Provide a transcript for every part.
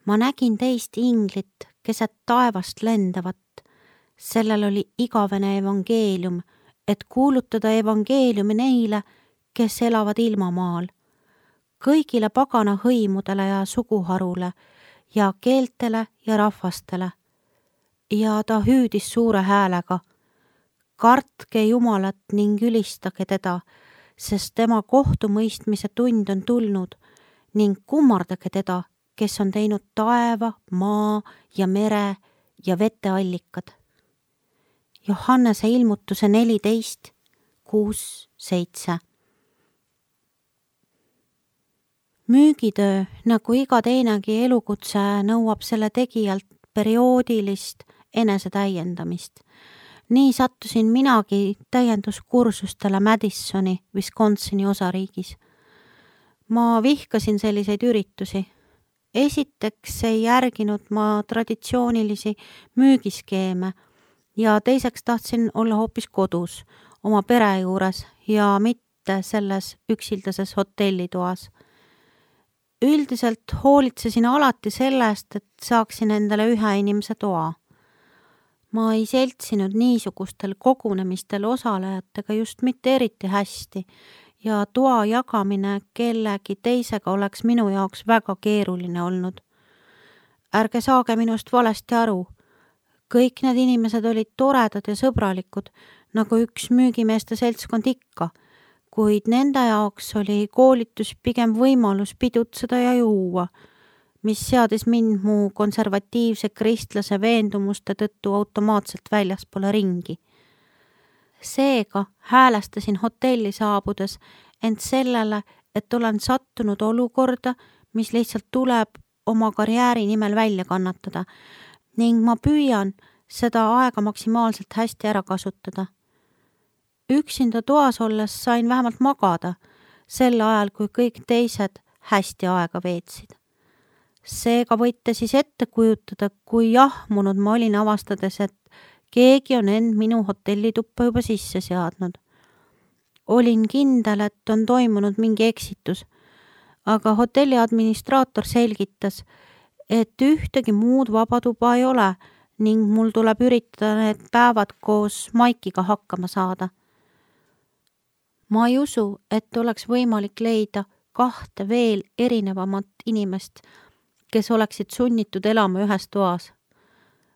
Ma nägin teist inglit keset taevast lendavat. Sellel oli igavene evangeelium, et kuulutada evangeeliumi neile, kes elavad ilmamaal, kõigile pagana hõimudele ja suguharule ja keeltele ja rahvastele. Ja ta hüüdis suure häälega: kartke Jumalat ning ülistage teda, sest tema kohtumõistmise tund on tulnud, ning kummardage teda, kes on teinud taeva, maa ja mere ja veteallikad. Johannese ilmutuse 14, 6, 7. Müügitöö, nagu iga teinegi elukutse, nõuab selle tegijalt perioodilist enesetäiendamist. Nii sattusin minagi täienduskursustele Madisoni, Wisconsini osariigis. Ma vihkasin selliseid üritusi. Esiteks ei järginud ma traditsioonilisi müügiskeeme ja teiseks tahtsin olla hoopis kodus, oma pere juures ja mitte selles üksildases hotellitoas. Üldiselt hoolitsesin alati sellest, et saaksin endale ühe inimese toa. Ma ei seltsinud niisugustel kogunemistel osalejatega just mitte eriti hästi ja toa jagamine kellegi teisega oleks minu jaoks väga keeruline olnud. Ärge saage minust valesti aru. Kõik need inimesed olid toredad ja sõbralikud, nagu üks müügimeeste seltskond ikka, kuid nende jaoks oli koolitus pigem võimalus pidutseda ja juua, mis seadis mind mu konservatiivse kristlase veendumuste tõttu automaatselt väljaspoole ringi. Seega häälestasin hotelli saabudes end sellele, et olen sattunud olukorda, mis lihtsalt tuleb oma karjääri nimel välja kannatada ning ma püüan seda aega maksimaalselt hästi ära kasutada. Üksinda toas olles sain vähemalt magada, sel ajal kui kõik teised hästi aega veetsid. Seega võite siis ette kujutada, kui jahmunud ma olin avastades, et keegi on end minu hotellituppa juba sisse seadnud. Olin kindel, et on toimunud mingi eksitus, aga hotelli administraator selgitas, et ühtegi muud vabatuba ei ole ning mul tuleb üritada need päevad koos Maikiga hakkama saada. Ma ei usu, et oleks võimalik leida 2 veel erinevamat inimest, kes oleksid sunnitud elama ühes toas.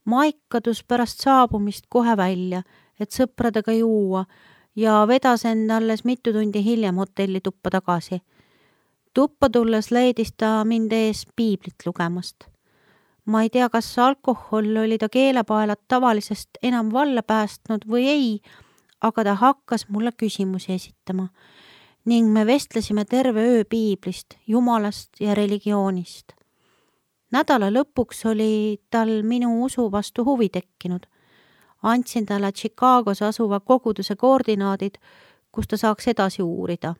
Maik kadus pärast saabumist kohe välja, et sõpradega juua ja vedas end alles mitu tundi hiljem hotellituppa tagasi. Tuppa tulles leidis ta mind ees piiblit lugemast. Ma ei tea, kas alkohol oli ta keelepaelat tavalisest enam valla päästnud või ei, aga ta hakkas mulle küsimusi esitama ning me vestlesime terve öö piiblist, jumalast ja religioonist. Nädala lõpuks oli tal minu usu vastu huvi tekkinud. Andsin talle Chicagos asuva koguduse koordinaadid, kus ta saaks edasi uurida.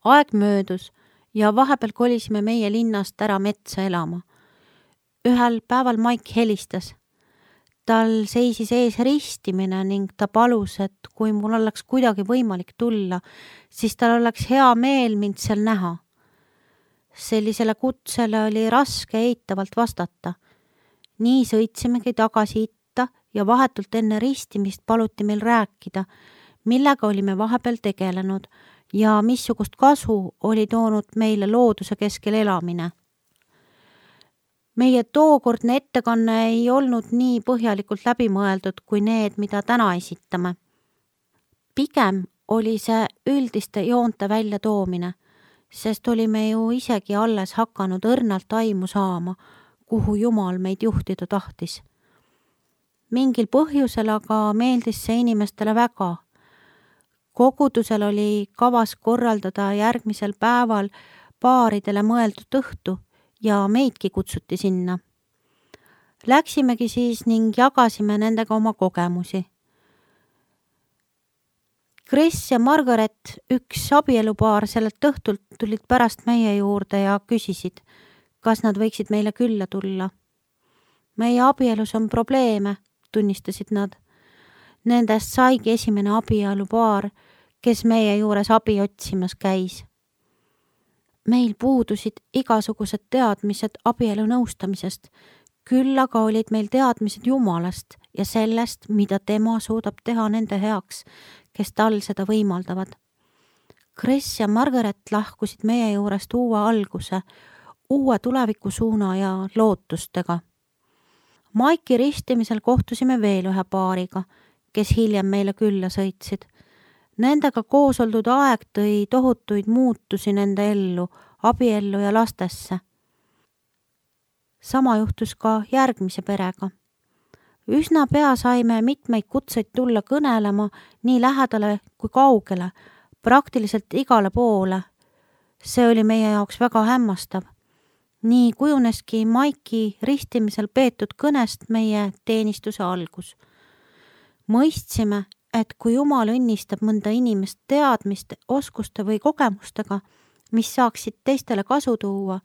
Aeg möödus ja vahepeal kolisime meie linnast ära metsa elama. Ühel päeval Maik helistas. Tal seisis ees ristimine ning ta palus, et kui mul oleks kuidagi võimalik tulla, siis tal oleks hea meel mind seal näha. Sellisele kutsele oli raske eitavalt vastata. Nii sõitsimegi tagasi itta ja vahetult enne ristimist paluti meil rääkida, millega olime vahepeal tegelenud ja missugust kasu oli toonud meile looduse keskel elamine. Meie tookordne ettekanne ei olnud nii põhjalikult läbimõeldud kui need, mida täna esitame. Pigem oli see üldiste joonte välja toomine, sest olime ju isegi alles hakanud õrnalt aimu saama, kuhu Jumal meid juhtida tahtis. Mingil põhjusel aga meeldis see inimestele väga. Kogudusel oli kavas korraldada järgmisel päeval paaridele mõeldud õhtu ja meidki kutsuti sinna. Läksimegi siis ning jagasime nendega oma kogemusi. Chris ja Margaret, üks abielupaar sellelt õhtult, tulid pärast meie juurde ja küsisid, kas nad võiksid meile külla tulla. Meie abielus on probleeme, tunnistasid nad. Nendest saigi esimene abielupaar, kes meie juures abi otsimas käis. Meil puudusid igasugused teadmised abielu nõustamisest, küll aga olid meil teadmised Jumalast ja sellest, mida tema suudab teha nende heaks, kes tal seda võimaldavad. Chris ja Margaret lahkusid meie juurest uue alguse, uue tulevikusuuna ja lootustega. Maiki ristimisel kohtusime veel ühe paariga, kes hiljem meile külla sõitsid. Nendega koos oldud aeg tõi tohutuid muutusi nende ellu, abiellu ja lastesse. Sama juhtus ka järgmise perega. Üsna pea saime mitmeid kutseid tulla kõnelema nii lähedale kui kaugele, praktiliselt igale poole. See oli meie jaoks väga hämmastav. Nii kujuneski Maiki ristimisel peetud kõnest meie teenistuse algus. Mõistsime, et kui Jumal õnnistab mõnda inimest teadmiste, oskuste või kogemustega, mis saaksid teistele kasu tuua,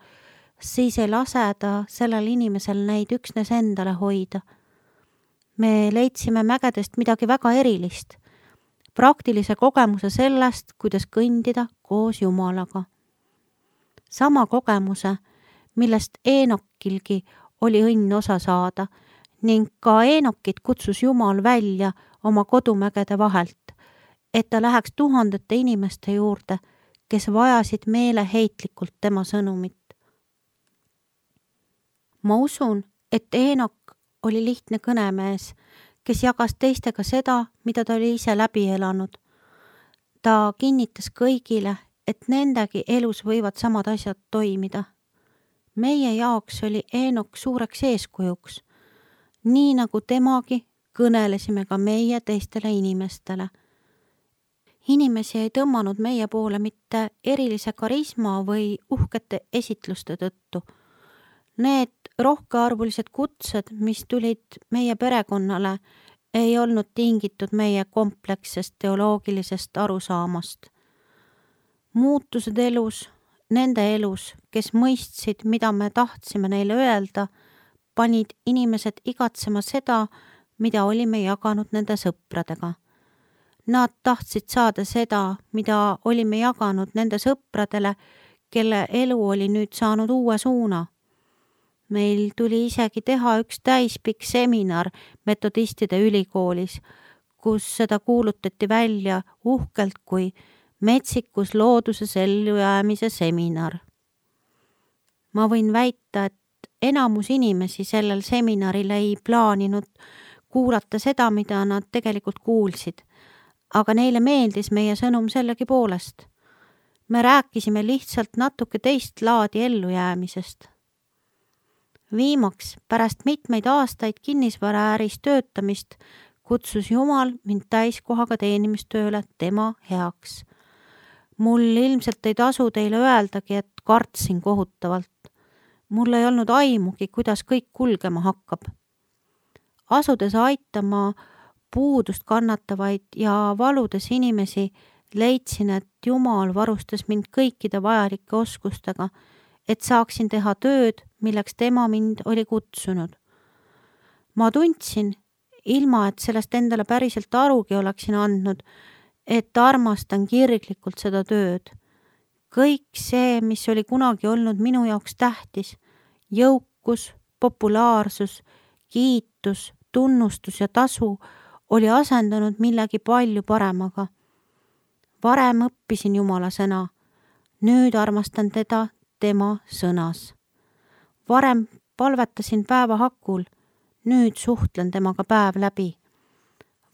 siis ei lase ta sellel inimesel neid üksnes endale hoida. Me leidsime mägedest midagi väga erilist, praktilise kogemuse sellest, kuidas kõndida koos Jumalaga. Sama kogemuse, millest Eenokilgi oli õnn osa saada ning ka Eenokit kutsus Jumal välja oma kodumägede vahelt, et ta läheks tuhandete inimeste juurde, kes vajasid meeleheitlikult tema sõnumit. Ma usun, et Eenok oli lihtne kõnemees, kes jagas teistega seda, mida ta oli ise läbi elanud. Ta kinnitas kõigile, et nendegi elus võivad samad asjad toimida. Meie jaoks oli Eenok suureks eeskujuks. Nii nagu temagi, kõnelesime ka meie teistele inimestele. Inimesi ei tõmmanud meie poole mitte erilise karisma või uhkete esitluste tõttu. Need rohkearvulised kutsed, mis tulid meie perekonnale, ei olnud tingitud meie komplekssest teoloogilisest arusaamast. Muutused elus, nende elus, kes mõistsid, mida me tahtsime neile öelda, panid inimesed igatsema seda, mida olime jaganud nende sõpradega. Nad tahtsid saada seda, mida olime jaganud nende sõpradele, kelle elu oli nüüd saanud uue suuna. Meil tuli isegi teha üks täispikk seminar metodistide ülikoolis, kus seda kuulutati välja uhkelt kui metsikus looduses ellujäämise seminar. Ma võin väita, et enamus inimesi sellel seminaril ei plaaninud kuulata seda, mida nad tegelikult kuulsid, aga neile meeldis meie sõnum sellegi poolest. Me rääkisime lihtsalt natuke teist laadi ellujäämisest. Viimaks, pärast mitmeid aastaid kinnisvaraäris töötamist, kutsus Jumal mind täiskohaga teenimistööle tema heaks. Mul ilmselt ei tasu teile öeldagi, et kartsin kohutavalt. Mul ei olnud aimugi, kuidas kõik kulgema hakkab. Asudes aitama puudust kannatavaid ja valudes inimesi, leidsin, et Jumal varustas mind kõikide vajalike oskustega, et saaksin teha tööd, milleks tema mind oli kutsunud. Ma tundsin, ilma et sellest endale päriselt arugi oleksin andnud, et armastan kirglikult seda tööd. Kõik see, mis oli kunagi olnud minu jaoks tähtis, jõukus, populaarsus, kiitus, tunnustus ja tasu, oli asendanud millegi palju paremaga. Varem õppisin Jumala sõna, nüüd armastan teda tema sõnas. Varem palvetasin päeva hakul, nüüd suhtlen temaga päev läbi.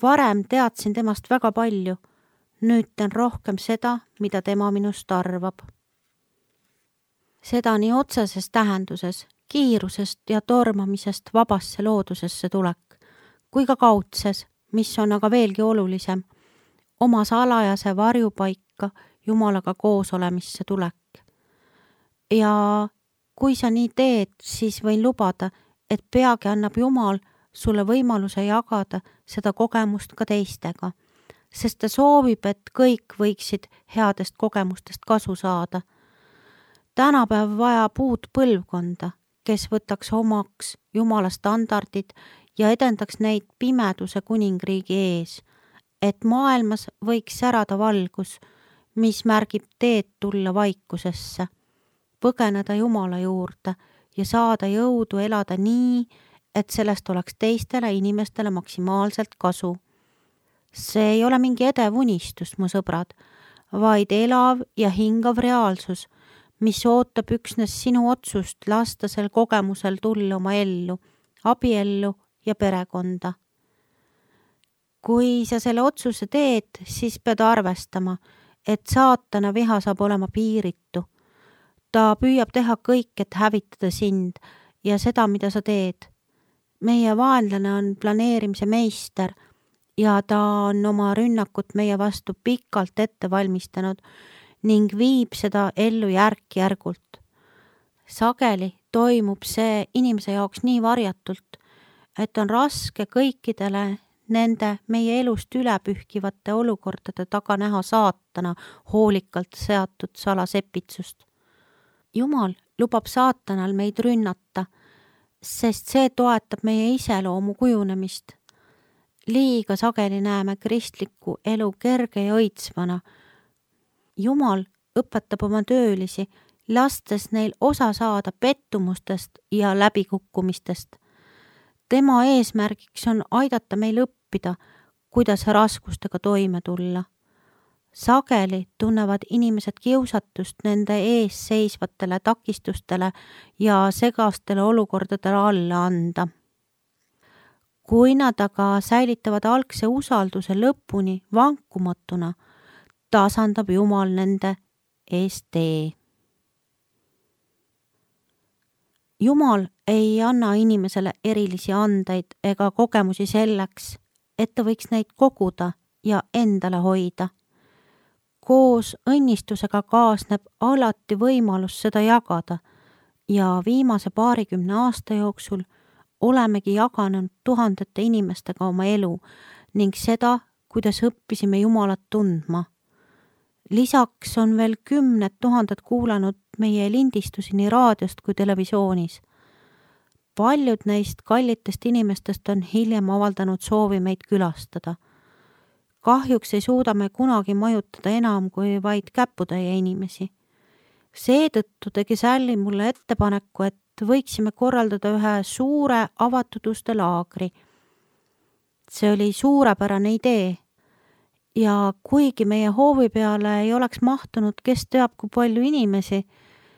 Varem teadsin temast väga palju, nüüd teen rohkem seda, mida tema minust arvab. Seda nii otseses tähenduses, kiirusest ja tormamisest vabasse loodusesse tulek, kui ka kaudses, mis on aga veelgi olulisem, oma salajase varjupaika Jumalaga koos olemisse tulek. Ja kui sa nii teed, siis võin lubada, et peagi annab Jumal sulle võimaluse jagada seda kogemust ka teistega, sest ta soovib, et kõik võiksid headest kogemustest kasu saada. Tänapäev vajab uut põlvkonda, kes võtaks omaks Jumala standardid ja edendaks neid pimeduse kuningriigi ees, et maailmas võiks särada valgus, mis märgib teed tulla vaikusesse. põgeneda Jumala juurde ja saada jõudu elada nii, et sellest oleks teistele inimestele maksimaalselt kasu. See ei ole mingi edev unistus, mu sõbrad, vaid elav ja hingav reaalsus, mis ootab üksnes sinu otsust lasta sel kogemusel tulla oma ellu, abiellu ja perekonda. Kui sa selle otsuse teed, siis pead arvestama, et saatana viha saab olema piiritu. Ta püüab teha kõik, et hävitada sind ja seda, mida sa teed. Meie vaenlane on planeerimise meister ja ta on oma rünnakut meie vastu pikalt ette valmistanud ning viib seda ellu järk-järgult. Sageli toimub see inimese jaoks nii varjatult, et on raske kõikidele nende meie elust ülepühkivate olukordade taga näha saatana hoolikalt seatud salasepitsust. Jumal lubab saatanal meid rünnata, sest see toetab meie iseloomu kujunemist. Liiga sageli näeme kristlikku elu kerge ja õitsvana. Jumal õpetab oma töölisi, lastes neil osa saada pettumustest ja läbikukkumistest. Tema eesmärgiks on aidata meil õppida, kuidas raskustega toime tulla. Sageli tunnevad inimesed kiusatust nende ees seisvatele takistustele ja segastele olukordadele alla anda. Kui nad aga säilitavad algse usalduse lõpuni vankumatuna, tasandab Jumal nende ees tee. Jumal ei anna inimesele erilisi andeid ega kogemusi selleks, et ta võiks neid koguda ja endale hoida. Koos õnnistusega kaasneb alati võimalus seda jagada ja viimase 20 aasta jooksul olemegi jaganud tuhandete inimestega oma elu ning seda, kuidas õppisime Jumalat tundma. Lisaks on veel 10 000 kuulanud meie lindistusi nii raadiost kui televisioonis. Paljud neist kallitest inimestest on hiljem avaldanud soovi meid külastada. Kahjuks ei suuda me kunagi majutada enam kui vaid käputäie inimesi. Seetõttu tegi Sally mulle ettepaneku, et võiksime korraldada ühe suure avatud uste laagri. See oli suurepärane idee. Ja kuigi meie hoovi peale ei oleks mahtunud kes teab kui palju inimesi,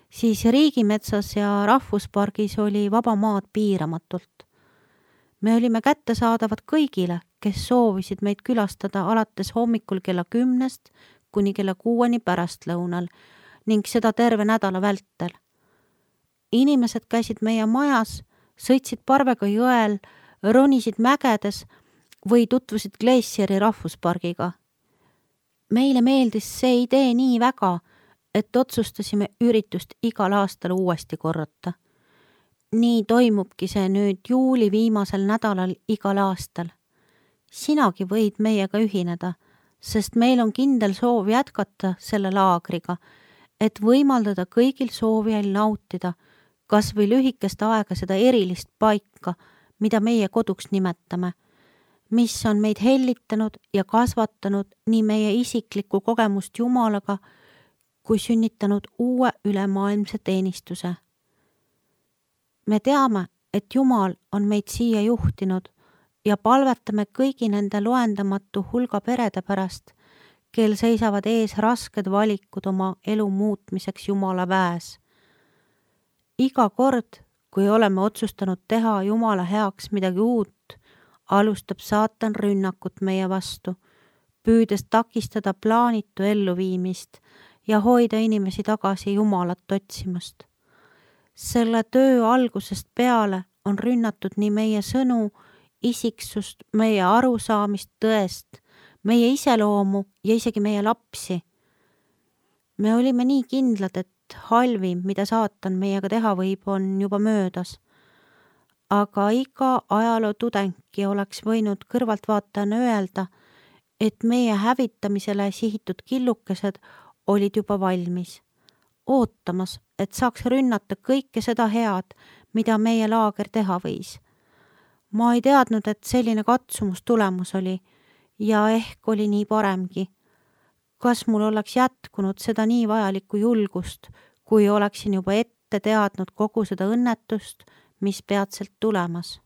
siis riigimetsas ja rahvuspargis oli vaba maad piiramatult. Me olime kättesaadavad kõigile, kes soovisid meid külastada alates hommikul kella 10 kuni kella 6 pärastlõunal ning seda terve nädala vältel. Inimesed käisid meie majas, sõitsid parvega jõel, ronisid mägedes või tutvusid Glacieri rahvuspargiga. Meile meeldis see idee nii väga, et otsustasime üritust igal aastal uuesti korrata. Nii toimubki see nüüd juuli viimasel nädalal igal aastal. Sinagi võid meiega ühineda, sest meil on kindel soov jätkata selle laagriga, et võimaldada kõigil soovijail nautida kas või lühikest aega seda erilist paika, mida meie koduks nimetame, mis on meid hellitanud ja kasvatanud nii meie isiklikku kogemust Jumalaga, kui sünnitanud uue ülemaailmse teenistuse. Me teame, et Jumal on meid siia juhtinud ja palvetame kõigi nende loendamatu hulga perede pärast, kel seisavad ees rasked valikud oma elu muutmiseks Jumala väes. Iga kord, kui oleme otsustanud teha Jumala heaks midagi uut, alustab saatan rünnakut meie vastu, püüdes takistada plaanitu elluviimist ja hoida inimesi tagasi Jumalat otsimast. Selle töö algusest peale on rünnatud nii meie sõnu, isiksust, meie arusaamist tõest, meie iseloomu ja isegi meie lapsi. Me olime nii kindlad, et halvim, mida saatan meiega teha võib, on juba möödas. Aga iga ajaloo tudengki oleks võinud kõrvaltvaatajana öelda, et meie hävitamisele sihitud killukesed olid juba valmis, ootamas, et saaks rünnata kõike seda head, mida meie laager teha võis. Ma ei teadnud, et selline katsumus tulemus oli ja ehk oli nii paremgi. Kas mul oleks jätkunud seda nii vajalikku julgust, kui oleksin juba ette teadnud kogu seda õnnetust, mis peatselt tulemas.